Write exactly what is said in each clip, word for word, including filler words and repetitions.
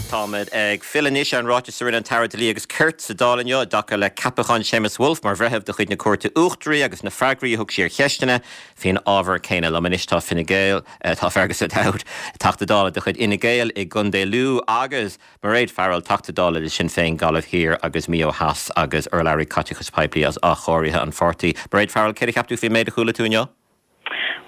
Táimid ag filleadh anois ar an ráiteas a rinne an tAire Dlí agus Cirt sa Dáil inniu i dtaca le ceapachán Séamus Woulfe mar bhreitheamh de chuid na Cúirte Uachtaraí agus na freagraí a thug sí ar cheisteanna faoin ábhar céanna. Liom anois tá Fine Gael, tá Fergus O'Dowd, Teachta Dála de chuid Fhine Gael i gContae Lú agus Mairéad Farrell, Teachta Dála le Sinn Féin Gaillimh Thiar agus Maigh Eo Theas agus urlabhraí caiteachais poiblí as áchóirithe an pháirtí. Mairéad Farrell, céard a cheap tú faoin méid a chuala tú inniu?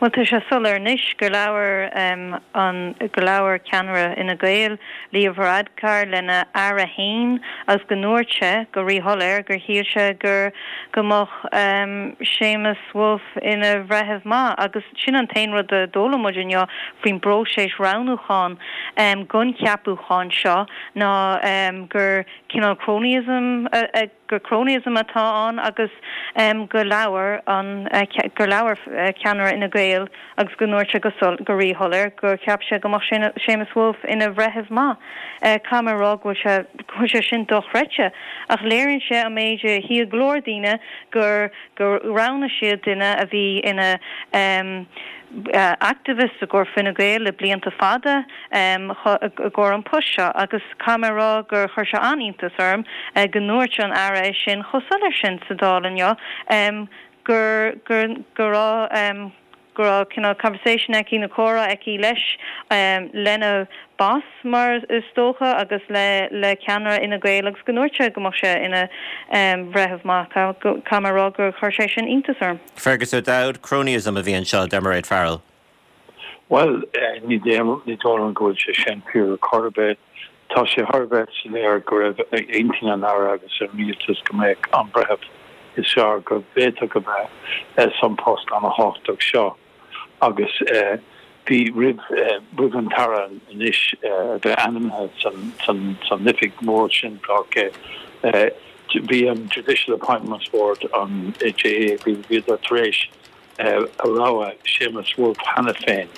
Well tá sé soiléir anois gur labhair um, an gur labhair ceannaire Fhine Gael Leo Varadkar lena aire féin agus go ndúirt sé go ríshoiléir gur shíl sé gur go mbeadh um, Séamus Woulfe ina bhreitheamh maith agus sin an t-aon rud a d'fhoghlaim muid inniu faoin bpróiseas roghnúcháin um, don cheapachán seo ná um, gur cineál cronyism uh, uh, gur cronyism atá ann agus um, go labhair an uh, gur labhair uh, ceannaire Fhine Gael agus go ndúirt sé go go ríshoiléir gur cheap sé go mbeadh Séamus Woulfe ina bhreitheamh maith. Uh, Caithfidh mé rá go sé go sé sin dochreidte ach léiríonn sé an méid a shíl go leor daoine gur gur roghnaigh siad duine a bhí ina um, uh, activist i gcomhair Fine Gael le blianta fada um, go an post seo agus caithfidh mé rá gur chuir sé an-iontas orm uh, go ndúirt an aire sin chomh soiléir sin sa Dáil inniu um, gur gur gur um, gur cineál conversation aici nó comhrá aici leis um, lena boss mar is dócha agus le le ceannaire Fhine Gael agus go ndúirt sé go mbeadh sé ina um, bhreitheamh maith caithfidh mé rá gur chuir sé sin iontas orm. Fergus O'Dowd, cronyism a bhí anseo de Mairéad Farrell. Well eh, ní ní dóigh go bhfuil sé sin fíor chor ar bith tá sé thar a bheith soiléir go raibh intinn an aire agus an rialtas go mbeadh an breitheamh is fearr go bhféadfadh go bheith san post an-tábhachtach seo agus eh, bhí roimh eh, roimh an tAire anois bheith ainmnithe san san san oifig mór sin bhí an Judicial Appointments Board an J A bhí bhí tar éis a rogha Séamus Woulfe cheana féin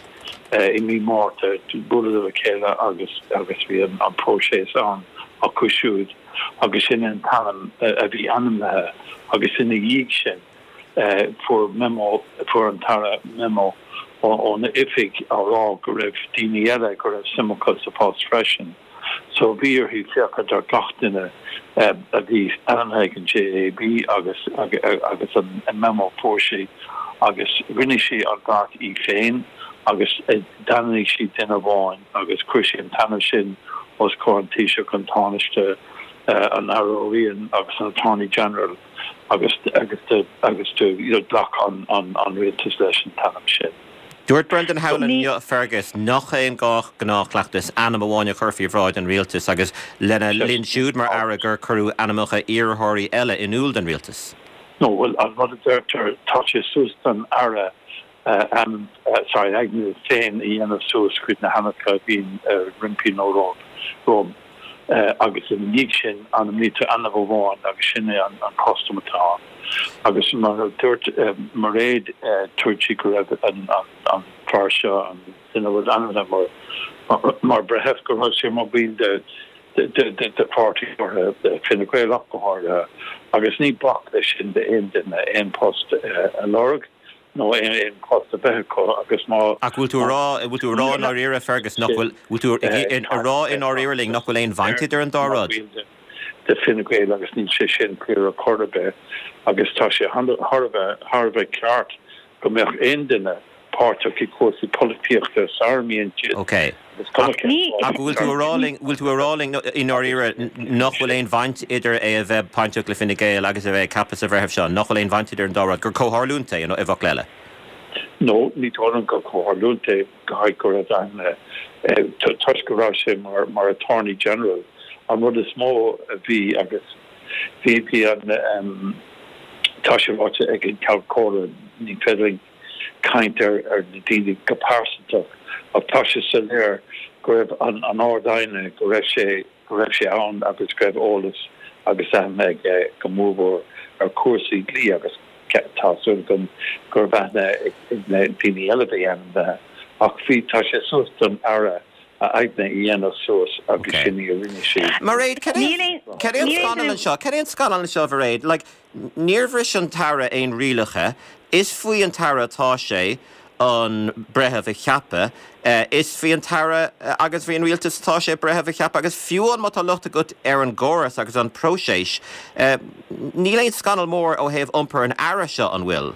i mí Márta bualadh le chéile agus agus bhí an an próiseas an acu siúd agus sin an t-ainm a bhí ainmnithe agus ina dhiaidh sin fuair memo fuair an tAire memo ón oifig á rá go raibh daoine eile go raibh suim acu sa post freisin. So bhí uirthi féachaint ar gach duine a bhí ainmnithe ag an J A B agus agus an memo fuair sí agus rinne sí an beart í féin agus d'ainmnigh sí duine amháin agus chuir sí an t-ainm sin os comhair an Taoiseach, an Tánaiste, an Aire O'Riain agus an Attorney General agus agus de, agus de you know, ghlac an an an rialtas leis an t-ainm sin. Dúirt Brendan Howlin inniu, Fergus, nach é an gnáthchleachtas ainm amháin a chur faoi bhráid an rialtas agus lena linn siúd mar aire gur cuireadh ainmneacha iarrthóirí eile in iúl don rialtas. No, well an rud a deirtear tá sé suas don aire uh, um, uh, sorry aigne féin a dhéanamh suas chuid na hainmneacha bhíonn uh, roimpi nó rom uh, agus ina dhiaidh sin ainmnítear ainm amháin agus sin é an, an custom atá agus mar dúirt uh, Mairéad uh, dúirt sí go raibh an, an, an fear seo an duine bhfuil ainmnithe mar mar, mar breitheamh go raibh sé mar bhall de de de de de pháirtí de Fine Gael ach go háirithe agus ní bac leis sin d'aon duine aon post uh, a lorg nó aon aon post a bheith acu agus má Ach bhfuil tú rá bhfuil tú rá i ndáiríre, Fergus, nach bhfuil bhfuil tú a rá i ndáiríre linn nach bhfuil aon bhaint idir an dá rud. De Fine Gael agus níl sé sin fíor ar chor ar bith agus tá sé thar a bheith ceart go mbeadh aon duine páirteach i cúrsaí polaitíochta sara mbíonn siad. Ok. Ach bhfuil tú rá linn bhfuil tú rá linn i ndáiríre nach bhfuil aon bhaint idir é a bheith bainteach le Fine Gael agus a bheith ceaptha sa bhreitheamh seo, nach bhfuil aon bhaint idir an dá rud gur comhtharlúint é nó i bhfocail eile. No, ní dóigh liom gur comhtharlúint é go go raibh an toisc go raibh sé mar mar attorney general an rud is mó a bhí agus bhí bhí an um, tá sé ráite ag an Ceann Comhairle ní féidir caint ar ar na daoine go pearsanta ach tá sé soiléir go raibh an an Ard-Aighne go raibh sé go raibh sé ann agus go raibh eolas agus aithne aige go mórmhór ar chúrsaí dlí agus tá súil agam go raibh aithne ag na daoine eile a bhí ainmnithe ach bhí tá sé suas don aire a aigne a dhéanamh suas agus sin í a rinne sí. Mairéad, cad é an scannal anseo, cad é an scannal anseo, Mairéad, like, níor bhris an tAire aon rialacha, is faoi an tAire atá sé an breitheamh a cheapadh. Is faoi an tAire agus faoin rialtas atá sé breitheamh a cheapadh agus fiú má tá locht agat ar an gcóras agus an próiseas, níl aon scannal mór ó thaobh iompar an Aire seo, an bhfuil?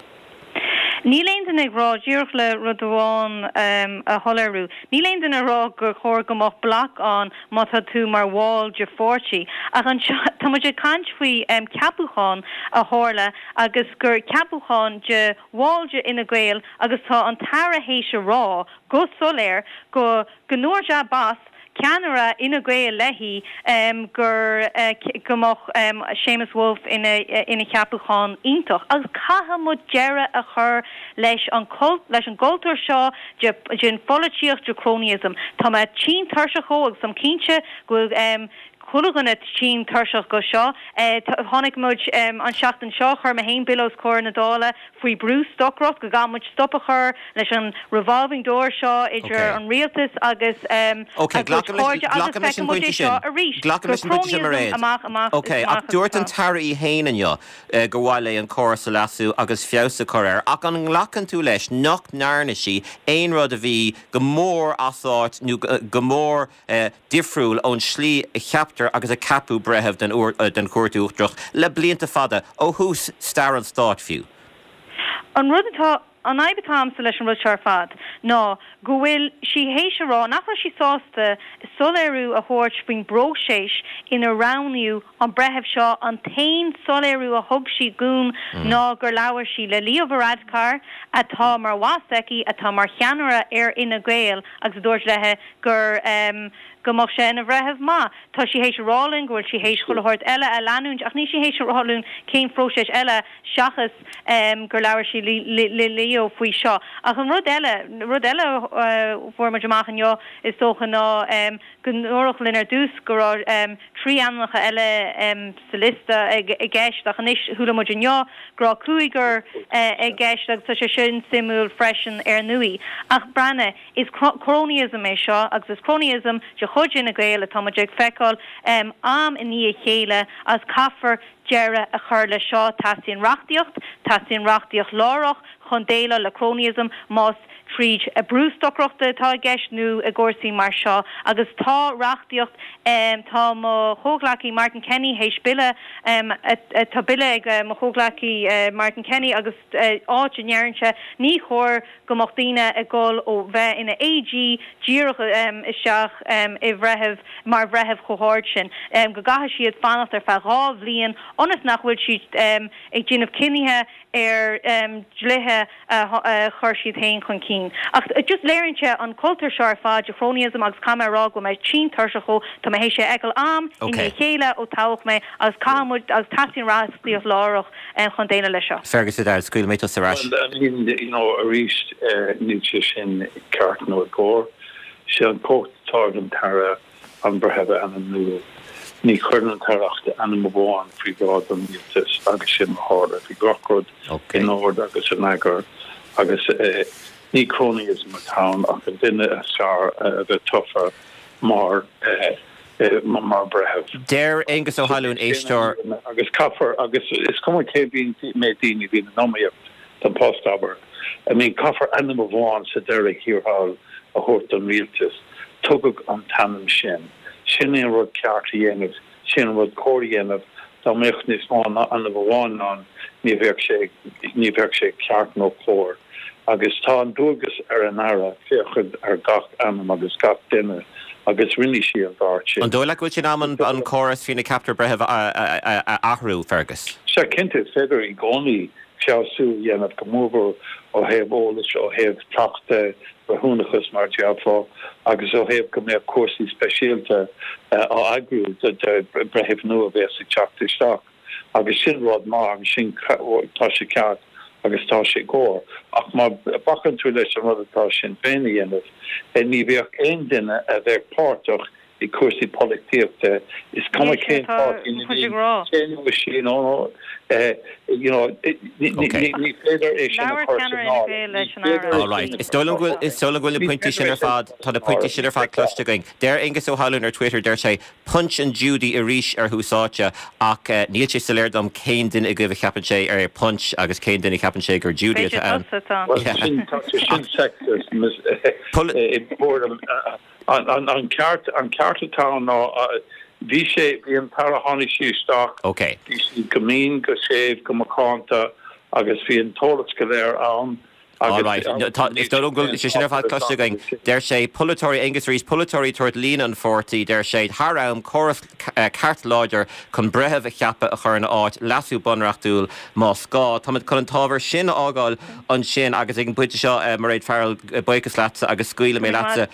Níl aon duine ag rá, díreach le rud amháin a shoiléiriú, níl aon duine ag rá gur chóir go mbeadh bloc ann má tá tú mar bhall de pháirtí. Ach anseo, tá muid ag caint faoi ceapúchán a tharla agus gur ceapúchán de bhall de Fhine Gael agus tá an tAire théis a rá go soiléir go go ndúirt a boss, ceannaire Fhine Gael léi gur go mbeadh Séamus Woulfe ina ina cheapúchán iontach. Agus caithfidh muid deireadh a chur leis an leis an gcultúr seo de den pholaitíocht de cronyism. Tá mé tinn tuirseach dhó agus táim cinnte go bhfuil chuile dhuine tinn tuirseach go seo. Tháinig muid an seachtain seo, chuir mé féin bille os comhair na Dála faoi brústocaireacht, go gcaithfidh muid stop a chur leis an revolving door seo idir an rialtas agus a gcuid cairde agus feicfidh muid é seo arís, gur cronyism amach amach Ok, ach dúirt an tAire í féin inniu gur mhaith léi an córas a leasú agus feabhas a chur air, ach an nglacann tú leis nach ndearna sí aon rud a bhí go mór as áit nó go mór difriúil ón slí a cheaptar agus a ceapadh breitheamh den den Chúirt Uachtarach le blianta fada, ó thús stair an stáit fiú? An rud atá, an fhadhb atá agamsa leis an rud seo ar fad ná go bhfuil sí théis a rá nach raibh sí sásta soiléiriú a thabhairt faoin bpróiseas inar roghnaíodh an breitheamh seo. An t-aon soiléiriú a thug sí dúinn ná gur labhair sí le Leo Varadkar, atá mar bhoss aici, atá mar cheannaire ar Fhine Gael, agus a dúirt léi gur go mbeadh sé ina bhreitheamh maith. Tá sí théis a rá linn go bhfuil sí théis chuile shórt eile a leanúint ach níl sí théis a rá linn cén phróiseas eile seachas gur labhair sí le Leo faoi seo. Ach an rud eile, rud eile a fuair muid amach inniu is dócha ná go ndúradh linn ar dtús go raibh trí ainmneacha eile sa liosta i gceist ach anois chuala muid inniu go raibh cúigear i gceist agus tá sé sin suimiúil freisin ar ndóigh. Ach breathnaigh, is cronyism é seo agus is cronyism de chuid Fhine Gael atá muid ag feiceáil am i ndiaidh a chéile agus caithfear deireadh a chur leis seo. Teastaíonn reachtaíocht, teastaíonn reachtaíocht láithreach chun déileáil le cronyism más tríd brústocaireacht atá i gceist nó i gcúrsaí mar seo agus tá reachtaíocht, tá mo chomhghleacaí Martin Kenny théis bille, tá bille ag mo chomhghleacaí Martin Kenny agus áit a ndeireann sé ní chóir go mbeadh daoine ag dul ó bheith ina A G díreach isteach i bhreitheamh mar bhreitheamh chomh hard sin, go gcaithfidh siad fanacht ar feadh dhá bhliain ionas nach bhfuil siad ag déanamh cinnithe ar dhlíthe a chuir siad féin chun cinn. Ach just léiríonn sé an cultúr seo ar fad de chronyism agus caithfidh mé a rá go bhfuil mé tinn tuirseach dhó, tá mé théis é a fheiceáil am i ndiaidh a chéile ó toghadh mé agus caithfidh muid agus teastaíonn reachtaíocht láithreach chun déileáil leis seo. Fergus O'Dowd, scaoilfidh mé tusa ar ais. Well, I mean, you know, arís, níl sé sin ceart nó i gcóir. Sé an chumhacht atá ag an tAire an breitheamh a ainmniú. Ní chuireann an tAire ach ainm amháin faoi bhráid an rialtais agus sin a tharla. Bhí gach rud in ord agus in eagar agus ní cronyism atá ann ach an duine is fearr a bheith tofa mar mar bhreitheamh. Deir Aengus Ó hAlúin, éisteoir. Agus caithfear, agus is cuma cé mhéad daoine a bhíonn in iomaíocht don post, abair. I mean, caithfear ainm amháin sa deireadh thiar thall a thabhairt don rialtas. Tugadh an t-ainm sin. Sin é an rud ceart a dhéanamh, sin an rud cóir a dhéanamh. Dá mbeadh níos mó ná ainm amháin ann, ní bheadh sé, ní bheadh sé ceart nó cóir. Agus tá an dualgas ar an Aire féachaint ar gach ainm agus gach duine agus rinne sí an beart sin. An dóigh leat go bhfuil sé in am an córas faoina gceaptar breitheamh a athrú, Fergus? Sea, cinnte, is féidir i gcónaí feabhsú a dhéanamh, go mórmhór ó thaobh eolais, ó thaobh cleachtadh, breithiúnachas mar a déarfá, agus ó thaobh go mbeadh cúrsaí speisialta á eagrú do bhreithimh nua a bheas ag teacht isteach. Agus sin rud maith agus sin, tá sé ceart agus tá sé cóir. Ach má bhacann tú leis an rud atá Sinn Féin a dhéanamh, ní bheadh aon duine a bheadh páirteach i cúrsaí polaitíochta. Is cuma cén páirtí ina sí nó you know ní féidir é sin a chur san áireamh. All right. Is dóigh liom go bhfuil is dóigh liom go bhfuil na pointí sin ar fad tá na pointí sin ar fad cloiste againn. Deir Aengus Ó hAlmhain ar Twitter deir sé Punch and Judy arís ar thús áite ach eh, níl sé soiléir dom cén duine agaibh a cheapann sé ar Punch agus cén duine a cheapann sé gur Judy atá ann. Well, sin tá sé sin sexist Pol- an an an ceart an ceart atá ná bhí sé bhí an tAire tháinig sí isteach Okay. bhí sí go mín go séimh go macánta agus bhí an t-eolas go léir ann All right. No, tá- Is dóigh liom go bhfuil sé sin ar fad cloiste againn. Deir sé polaiteoirí Aengus arís polaiteoirí tabhairt líne an pháirtí, deir sé thar am córas eh, ceart láidir chun breitheamh a cheapadh a chur ina áit leasú bunreachtúil más gá. Táimid chun an t-ábhar sin a fhágáil ansin agus ag an bpointe seo eh, Mairéad Farrell eh, buíochas leatsa agus scaoilfidh mé leatsa